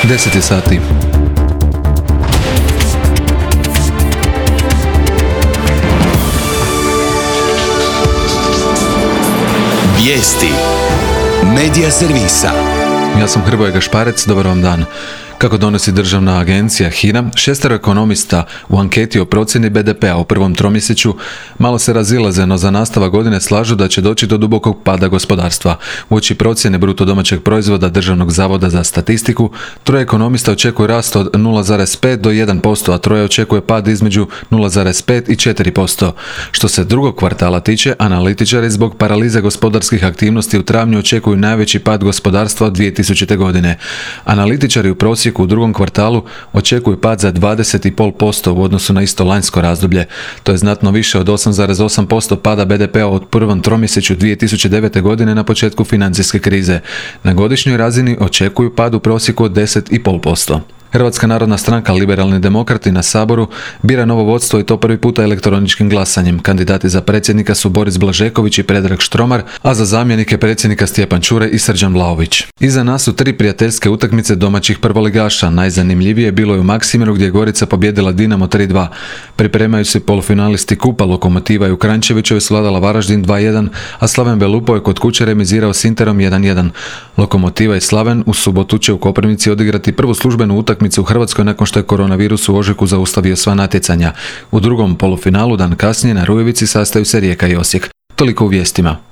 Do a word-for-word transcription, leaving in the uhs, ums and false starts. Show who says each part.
Speaker 1: deset je sati.
Speaker 2: Vijesti Medija servisa.
Speaker 1: Ja sam Hrvoje Gašparec, dobar vam dan. Kako donosi državna agencija H I N A, šestero ekonomista u anketi o procjeni B D P-a u prvom tromjesečju malo se razilaze, no za nastavak godine slažu da će doći do dubokog pada gospodarstva. Uoči procjene bruto domaćeg proizvoda Državnog zavoda za statistiku, troje ekonomista očekuje rast od nula zarez pet do jedan posto, a troje očekuje pad između nula zarez pet i četiri posto. Što se drugog kvartala tiče, analitičari zbog paralize gospodarskih aktivnosti u travnju očekuju najveći pad gospodarstva od dvije tisućite. godine. Analitičari u prosjeku u drugom kvartalu očekuju pad za dvadeset zarez pet posto u odnosu na isto lanjsko razdoblje. To je znatno više od osam zarez osam posto pada B D P-a od prvom tromjesečju dvije tisućite devete. godine na početku financijske krize. Na godišnjoj razini očekuju pad u prosjeku od deset zarez pet posto. Hrvatska narodna stranka Liberalni demokrati na Saboru bira novo vodstvo i to prvi puta elektroničkim glasanjem. Kandidati za predsjednika su Boris Blažeković i Predrag Štromar, a za zamjenike predsjednika Stjepan Čuraj i Srđan Vlaović. Iza nas su tri prijateljske utakmice domaćih prvoligaša. Najzanimljivije bilo je u Maksimiru gdje je Gorica pobijedila Dinamo tri dva. Pripremaju se polufinalisti kupa, Lokomotiva i u Kranjčevićevoj svladala Varaždin dva jedan, a Slaven Belupo je kod kuće remizirao s Interom jedan jedan. Lokomotiva i Slaven u subotu će u Koprivnici odigrati prvu službenu utakmicu u Hrvatskoj nakon što je koronavirus u ožujku zaustavio sva natjecanja. U drugom polufinalu dan kasnije na Rujevici sastaju se Rijeka i Osijek. Toliko u vijestima.